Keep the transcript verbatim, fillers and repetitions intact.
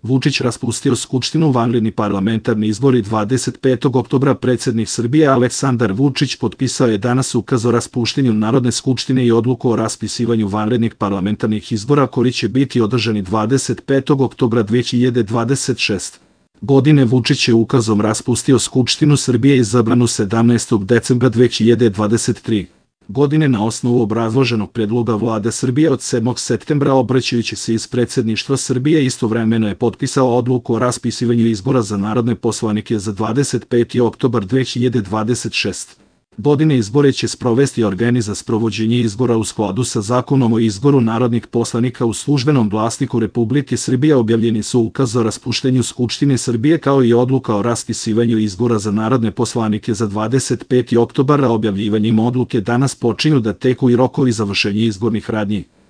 Vučić raspustio Skupštinu, vanredni parlamentarni izbori dvadeset petog oktobra. Predsjednik Srbije Aleksandar Vučić potpisao je danas ukaz o raspuštenju Narodne skupštine i odluku o raspisivanju vanrednih parlamentarnih izbora koji će biti održani dvadeset petog oktobra dve hiljade dvadeset šeste. godine. Vučić je ukazom raspustio Skupštinu Srbije izabranu sedamnaestog decembra dve hiljade dvadeset treće. godine na osnovu obrazloženog predloga Vlade Srbije od sedmog septembra. Obraćajući se iz Predsjedništva Srbije, istovremeno je potpisao odluku o raspisivanju izbora za narodne poslanike za dvadeset peti oktobar dve hiljade dvadeset šeste. godine. Izbore će sprovesti organ za sprovođenje izbora u skladu sa Zakonom o izboru narodnih poslanika. U Službenom glasniku Republike Srbije objavljeni su ukaz o raspuštenju Skupštine Srbije kao i odluka o raspisivanju izbora za narodne poslanike za dvadeset peti oktobar. Objavljivanjem odluke danas počinju da teku i rokovi završenja izbornih radnji.